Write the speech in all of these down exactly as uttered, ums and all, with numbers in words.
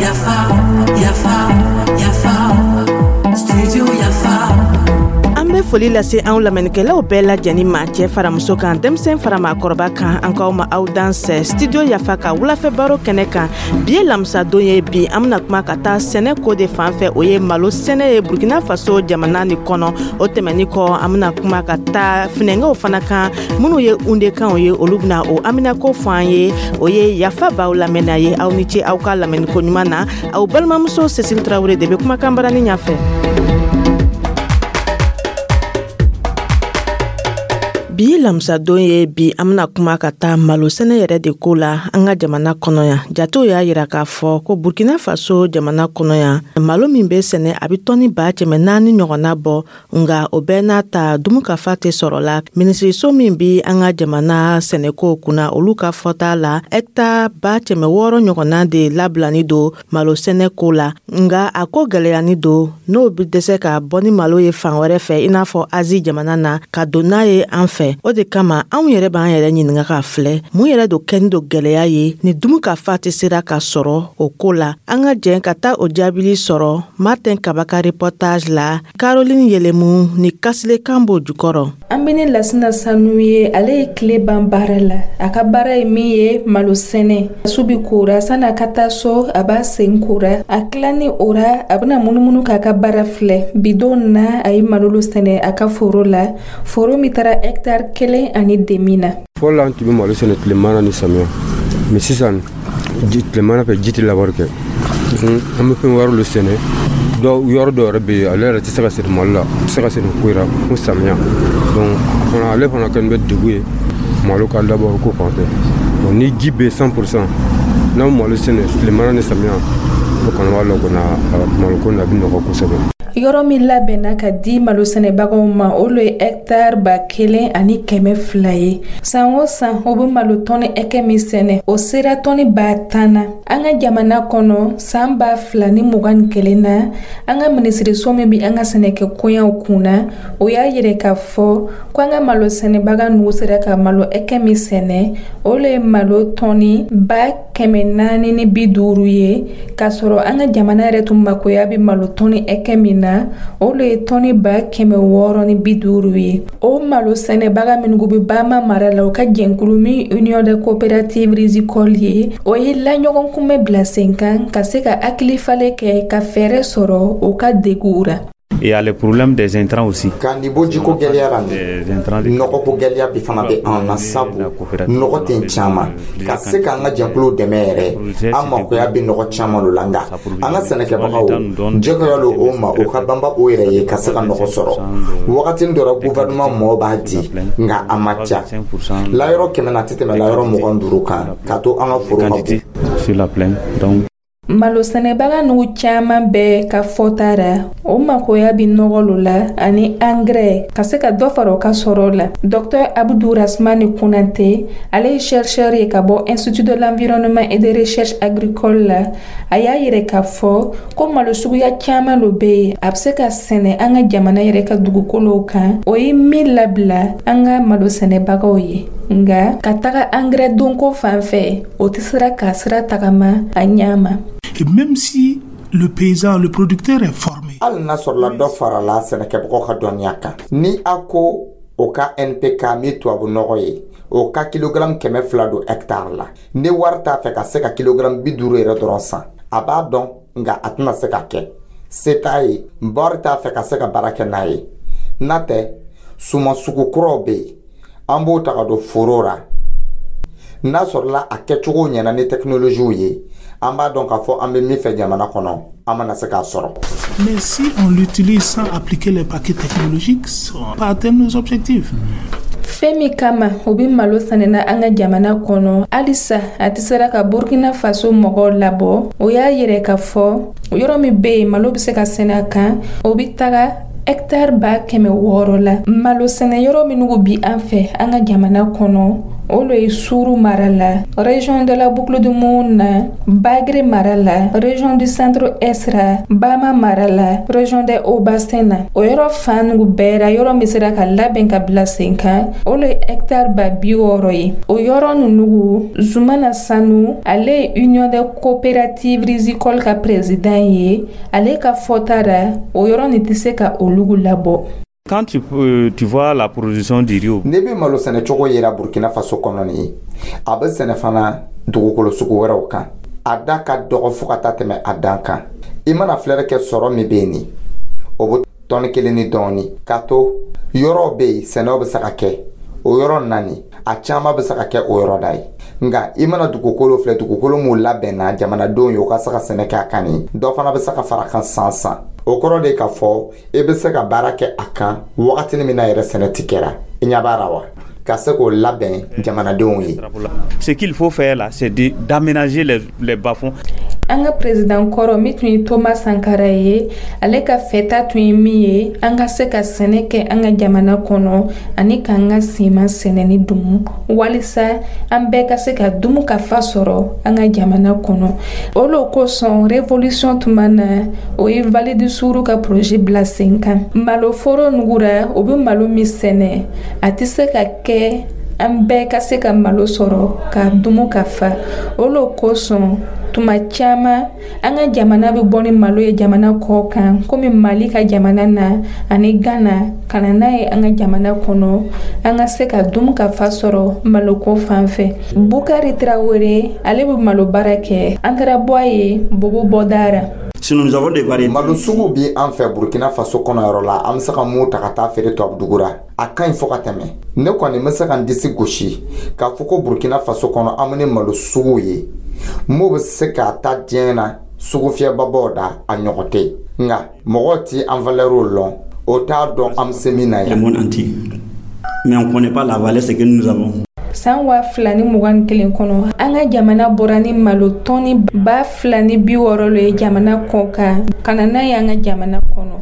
Yafa, Yafa, Yafa, Studio Yafa. An bɛ foli lase anw lamɛnnikɛlaw bɛɛ lajɛnin ma, cɛɛ fara muso kan, denmisɛn fara maakɔrɔba kan. An k'aw ma aw dansɛ Studio Yafa ka wulafɛ baro kɛnɛ kan. Bi ye lamisadon ye. Bi, an bena kuma ka taa sɛnɛ ko de fan fɛ, o ye malo sɛnɛ ye Burkina Faso jamana ni kɔnɔ. O tɛmɛni kɔ, an bena kuma ka taa finɛngɛw fana kan, minw ye undekanw ye, olu bena o aminako fɔ an ye. O ye Yafa b'aw lamɛnna ye. Aw ni ce aw ka lamɛnniko ɲuman na. Aw balimamuso Cécile Tarawele de be kumakan barani ɲafɛ. Bi ye lamisadon ye. Bi, an bena kuma ka taa malo sɛnɛ yɛrɛ de ko la an ka jamana kɔnɔ yan. Jatew y'a yira k'a fɔ ko Burkina Faso jamana kɔnɔ yan, malo min be sɛnɛ, a be tɔni ba kɛmɛ naani ɲɔgɔnna bɔ. Nga o bɛɛ n'a ta, dumukafa tɛ sɔrɔ la. Minisiriso min bi an ka jamana sɛnɛko kunna, olu ka fɔta la, hɛkta ba kɛmɛ wɔɔrɔ ɲɔgɔnna de labilani don malo sɛnɛ ko la. Nga a ko gwɛlɛyani don, n'o be dɛsɛ ka bɔ ni malo ye fan wɛrɛ fɛ, i n'a fɔ Azi jamana na, ka don n'a ye an fɛ. O de kama, anw yɛrɛ b'an yɛrɛ ɲininga ka filɛ, mun yɛrɛ do kɛni do gwɛlɛya ye ni dumukafa tɛ sera ka sɔrɔ o ko la? An ka jɛn ka taa o jaabili sɔrɔ Martin Kaba ka reportage la, Caroline Yelemu ni Kasile Kanbo jukɔrɔ. An be ni Lasina Sanu ye. Ale ye tile ban baara la. A ka baara ye min ye, malo sɛnɛ. Su bi kora, sani a ka taa so, a b'a sen kora. A tilani o ra, a bena munumunu k'a ka baara filɛ. Bidon na, a ye malolo sɛnɛ a ka foro la, foro min taara hɛktare kelen ani demi na. Fɔlɔ la, an tun bɛ malo sɛnɛ tilemana ni samiya, mais sisan, tilemana fɛ, ji tɛ labɔri kɛ. An bɛ fɛn wɛrɛw de sɛnɛ. Dɔw, yɔrɔ dɔw yɛrɛ bɛ yen, ale yɛrɛ tɛ se ka sɛnɛ malo la, tɛ se ka sɛnɛ foyi la fo samiya. Donc fana, ale fana kɛlen bɛ degun ye malo ka labɔri ko fan fɛ. Bon, ni ji bɛ cent pour cent, n'an malo sɛnɛ tilemana ni samiya, o kɔni b'a lɔ kɔni, malo ko nin a bɛ nɔgɔ kosɛbɛ. Yɔrɔ min labɛnna ka di malo sɛnɛbagaw ma, o lo ye hɛktare ba kelen ani kɛmɛ fila ye. San o san, o be malo tɔni hɛkɛ min sɛnɛ, o sera tɔni ba tan na an ka jamana kɔnɔ. San ba fila ni mugan ni kelen na, an ka minisiriso min bi an ka sɛnɛkɛ koɲaw kun na, o y'a yɛrɛ k'a fɔ ko an ka malo sɛnɛbaga nugu sera ka malo hɛkɛ min sɛnɛ, o le ye malo tɔni ba kɛmɛ naani ni bi duuru ye, k'a sɔrɔ an ka jamana yɛrɛ tun makoya bɛ malo tɔni hɛkɛ min na, o le ye tɔni ba kɛmɛ wɔɔrɔ ni bi duuru ye. O malo sɛnɛbaga minnu bɛ Bama mara la, o ka jɛnkulu min Union de coopérative rizicole ye, o ye laɲɔgɔn kunbɛ bila sen kan ka se ka hakili falen kɛ ka fɛɛrɛ sɔrɔ o ka deguw ra. Il y a le problème des intrants aussi. Ka nin bɔ jiko gɛlɛya la, nin nɔgɔko gɛlɛya bi fana bɛ an na, sabu nɔgɔ tɛ caman ka se k'an ka jɛkuluw dɛmɛ yɛrɛ. An makoya bɛ nɔgɔ caman lo la, nka an ka sɛnɛkɛbagaw jɛgoya lo o ma, o ka banba o yɛrɛ ye ka se ka nɔgɔ sɔrɔ. Wagati dɔ la, gouvernement mɔgɔw b'a di, nka a ma ca. Layɔrɔ kɛmɛ na, a tɛ tɛmɛ layɔrɔ mugan duuru kan k'a to an ka foro ka bon. Sur la plaine. Donc malo sɛnɛbaga nugu caman bɛɛ ka fɔta ra, o makoya bi nɔgɔ lo la ani angɛrɛ ka se ka dɔ fara o ka sɔrɔ la. Docteur Abdou Rasmani Konate, ale ye chercheur ye ka bɔ Institut de l'environnement et de recherche agricole la, a y'a yɛrɛ k'a fɔ ko malo suguya caman lo be yen, a be se ka sɛnɛ an ka jamana yɛrɛ ka dugukolow kan. O ye min labila an ka malo sɛnɛbagaw ye, nga ka taga angɛrɛ donko fan fɛ, o tɛ sera k'a sira tagama a ɲa ma. Et même si le paysan, le producteur est formé. Hali n'a sɔrɔla dɔ farala sɛnɛkɛbagaw ka dɔnniya kan, ni a ko o ka N P K min, tubabu nɔgɔ ye, o ka kilogramme kɛmɛ fila don hectare la, ni wari t'a fɛ ka se ka kilogramme bi duuru yɛrɛ dɔrɔn san, a b'a dɔn, nka a tɛna se ka kɛ, se t'a ye, wari t'a fɛ ka se ka baara kɛ n'a ye. N'a tɛ, suman sugu kuraw bɛ yen, an b'o ta ka don foro la. N'a sɔrɔla a kɛcogo ɲɛna ni tɛkinoloziw ye, an b'a dɔn k'a fɔ an bɛ min fɛ jamana kɔnɔ, an mana se k'a sɔrɔ. Mais si on l'utilise sans appliquer les paquets technologiques, on va pas atteindre nos objectifs. Fɛn min kama o be malo sɛnɛna an ka jamana kɔnɔ, halisa a tɛ sera ka Burkina Faso mɔgɔw labɔ. O y'a yɛrɛ ka fɔ yɔrɔ min be yen, malo be se ka sɛnɛ a kan, o be taga hɛktare ba kɛmɛ wɔɔrɔ la. Malo sɛnɛ yɔrɔ minnu bi an fɛ an ka jamana kɔnɔ, O lo ye Suru mara la, région de la Boucle du Mouhoun na, Bagre mara la, région du Centre Est ra, Bama mara la, région des Hauts Bassins na. O yɔrɔ fan nugu bɛɛ ra, yɔrɔ min sera ka labɛn ka bila sen kan, o lo ye hectare ba bi wɔɔrɔ ye. O yɔrɔ nunugu, Zumana Sanu, ale ye Union des coopératives rizicoles ka président ye. Ale ka fɔta ra, o yɔrɔ nin tɛ se ka olugu labɔ. Quand tu, euh, tu vois la production du riz, Ne bɛ malo sɛnɛ cogo yira Burkina Faso kɔnɔ nin ye, a bɛ sɛnɛ fana dugukolo sugu wɛrɛw kan. A da ka dɔgɔ fo ka taa tɛmɛ a dan kan. I mana filɛri kɛ, sɔrɔ min bɛ yen nin, o bɛ tɔni kelen ni dɔɔni k'a to. Yɔrɔw bɛ yen, sɛnɛw bɛ se ka kɛ o yɔrɔ naani, a caman bɛ se ka kɛ o yɔrɔ da ye. Nka i mana dugukolo filɛ, dugukolo mun labɛnna jamanadenw ye u ka se ka sɛnɛ kɛ a kan nin, dɔ fana bɛ se ka fara kan san san. O kɔrɔ de k'a fɔ i bɛ se ka baara kɛ a kan wagatinin min na yɛrɛ sɛnɛ ti kɛra. I ɲɛ b'a la wa, ka se k'o labɛn jamanadenw ye. Ce qu'il faut faire là, c'est d'aménager les, les bas-fonds. An ka président kɔrɔ min tun ye Thomas Sankara ye, ale ka fɛta tun ye min ye, an ka se ka sɛnɛ kɛ an ka jamana kɔnɔ ani k'an ka siman sɛnɛni dumu, walisa an bɛɛ ka se ka dumu ka fa sɔrɔ an ka jamana kɔnɔ. O lo kosɔn, révolution tuma na, o ye Vallée du Sourou ka projet bila sen kan. Maloforo nugura, o bɛ malo min sɛnɛ, a tɛ se ka kɛ an bɛɛ ka se ka malo sɔrɔ ka dumu ka fa. O lo kosɔn, tuma caman, an ka jamana bɛ bɔ ni malo ye jamana kɔ kan, komi Mali ka jamana na ani Gana, ka na n'a ye an ka jamana kɔnɔ, an ka se ka dumu ka fa sɔrɔ maloko fan fɛ. Bukari Tarawele, ale bɛ malo baara kɛ. An taara bɔ a ye Bobo bɔda. Sinon, nous avons des variétés. Malo sugu bi an fɛ Burkina Faso kɔnɔ yɔrɔ la, an bɛ se ka mun ta ka taa feere tubabu la, a ka ɲi fo ka tɛmɛ. Ne kɔni bɛ se ka n disi gosi k'a fɔ ko Burkina Faso kɔnɔ, an bɛ ni malo sugu ye mun bɛ se k'a ta diɲɛ na sugu fiyɛbabaw da, a ɲɔgɔn tɛ. Nka mɔgɔw ti an valeur lɔn, o t'a dɔn an bɛ se min na Le yan. monde entier. Mais on ne connaît pas la valeur, ce que nous avons. San waa fila ni mugan ni kelen kɔnɔ, an ka jamana bɔra ni malo tɔni ba fila ni bi wɔɔrɔ lo ye jamana kɔ kan, ka na n'a ye an ka jamana kɔnɔ.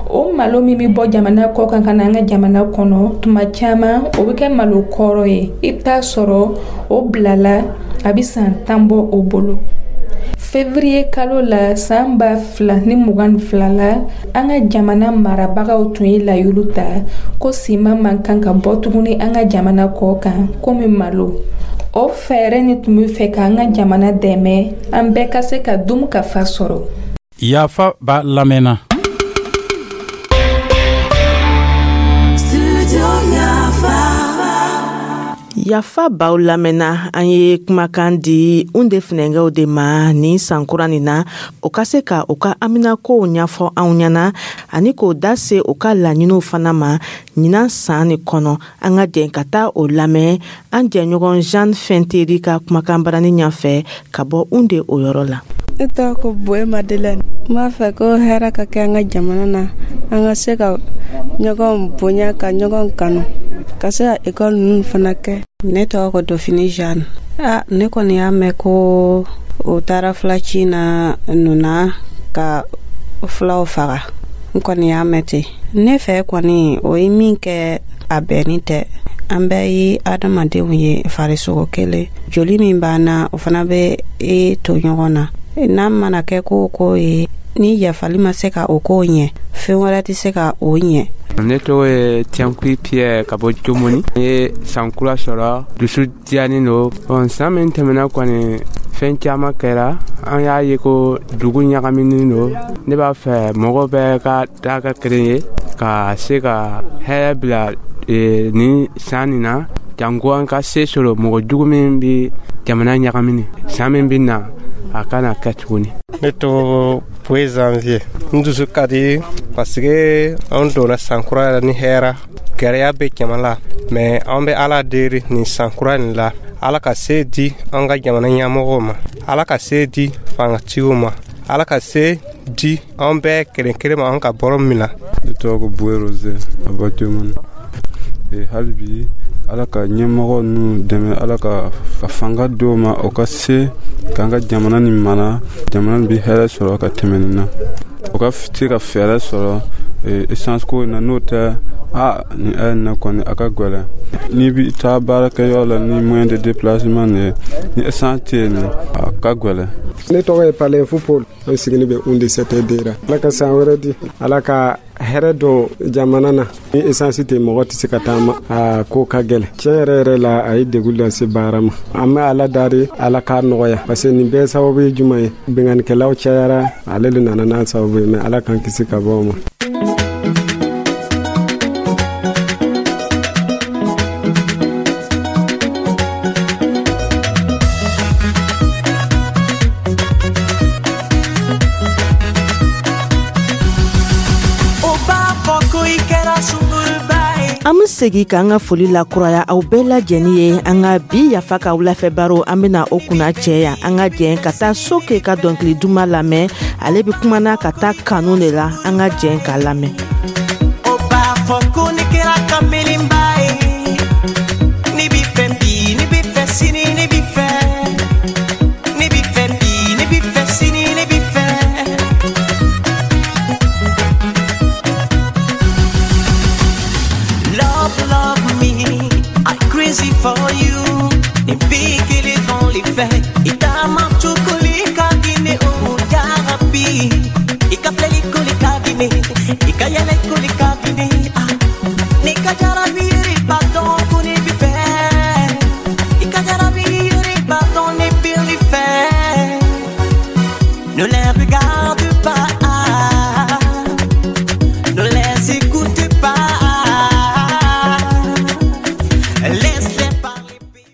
O malo min bɛ bɔ jamana kɔ kan ka na an ka jamana kɔnɔ, tuma caman o bɛ kɛ malo kɔrɔ ye. I bɛ taa sɔrɔ o bilala, a bɛ san tan bɔ o bolo. Février kalo la, san ba fila ni mugan ni fila la, an ka jamana marabagaw tun ye layulu ta ko siman man kan ka bɔ tuguni an ka jamana kɔ kan komi malo. O fɛɛrɛ ni tun bɛ fɛ k'an ka jamana dɛmɛ, an bɛɛ ka se ka dumu ka fa sɔrɔ. Yafa b'a lamɛnna. Studio Yafa. Yafa baw lamɛnna. An ye kumakan di un de funɛnkɛw de ma nin sankura nin na, o ka se ka u ka haminakow ɲɛfɔ anw ɲɛna ani k'o da se u ka laɲiniw fana ma ɲinan san nin kɔnɔ. An ka jɛn ka taa o lamɛn an jɛɲɔgɔn Jeanne Fɛnteri ka kumakan barani ɲɛfɛ ka bɔ un de o yɔrɔ la. Ne tɔgɔ ko Boye Madeleine. N b'a fɛ ko hɛrɛ ka kɛ an ka jamana na, an ka se ka ɲɔgɔn bonya, ka ɲɔgɔn kanu, ka se ka ekɔli ninnu fana kɛ. Ne tɔgɔ ko Dofini Jeanne. A ne kɔni y'a mɛn ko o taara filaci na nuna ka filaw faga. N kɔni y'a mɛn ten. Ne fɛ kɔni, o ye min kɛ, a bɛnni tɛ. An bɛɛ ye adamadenw ye, farisogo kelen, joli min b'an na, o fana bɛ e to ɲɔgɔn na. N'a mana kɛ ko o ko ye, ni yafali ma se ka o ko ɲɛ, fɛn wɛrɛ tɛ se ka o ɲɛ. Ne tɔgɔ ye Tiankui Pierre ka bɔ Jomoni. N ye san kura sɔrɔ, dusu diyanen don. Bon, san min tɛmɛna kɔni, fɛn caman kɛra. An y'a ye ko dugu ɲagaminen don. Ne b'a fɛ mɔgɔ bɛɛ ka taa kɛ kelen ye, ka se ka hɛrɛ bila eh, nin san nin na, janko an ka se sɔrɔ mɔgɔ jugu min bɛ jamana ɲagamini. San min bɛ na, a kana kɛ tuguni. Ne tɔgɔ Poe Janvier. N dusu ka di parce que an donna san kura la ni hɛra. Gɛlɛya bɛ jama la, mais an bɛ Ala deli nin san kura nin la, Ala ka se di an ka jamana ɲɛmɔgɔw ma, Ala ka se di fangatigiw ma, Ala ka se di an bɛɛ kelen kelen ma, an ka bɔrɔ min na. Ne tɔgɔ ko Boye Rose ka bɔ Jomoni. E, hali bi, Ala ka ɲɛmɔgɔ ninnu dɛmɛ, Ala ka ka fanga d'o ma, o ka se k'an ka jamana nin mara, jamana nin bɛ hɛrɛ sɔrɔ ka tɛmɛ nin na, o ka se ka fɛɛrɛ sɔrɔ essence ko in na, n'o tɛ. A ni ɛ na kɔni, a ka gɛlɛn. N'i bi taa baarakɛyɔrɔ la ni moyen de déplacement nin ye, ni essence tɛ yen, a ka gɛlɛn. Ne tɔgɔ ye Palen Paul. An sigini bɛ Houndé C T D ra. Ala ka san wɛrɛ di, Ala ka hɛrɛ don jamana na. Ni essence tɛ, mɔgɔ tɛ se ka taama, a ko ka gɛlɛn. Tiɲɛ yɛrɛ yɛrɛ la, a ye degun lase baara ma. An bɛ Ala dari, Ala k'a nɔgɔya, parce que nin bɛɛ sababu ye jumɛn ye? Binkannikɛlaw cayara, ale de nana n'a sababu ye. Mais Ala k'an kisi ka bɔ o ma. An be segi k'an ka foli lakuraya aw bɛɛ lajɛni ye. An ka bi Yafa ka wulafɛ baro, an bena o kunna cɛ yan. An ka jɛn ka taa Soke ka dɔnkili duman lamɛn. Ale be kumana ka taa kanu de la. An ka jɛn k'a lamɛn. O b'a fɔ ko ne kɛra kamelenba ye. Ne b'i fɛ bi, ne b'i fɛ sini, ne b'i fɛ. Ne b'i fɛ bi, ne b'i fɛ sini, ne b'i fɛ. Love, love me, I crazy for you. Ne b'i kelen dɔn le fɛ. I taama cogo le ka di ne o jarabi.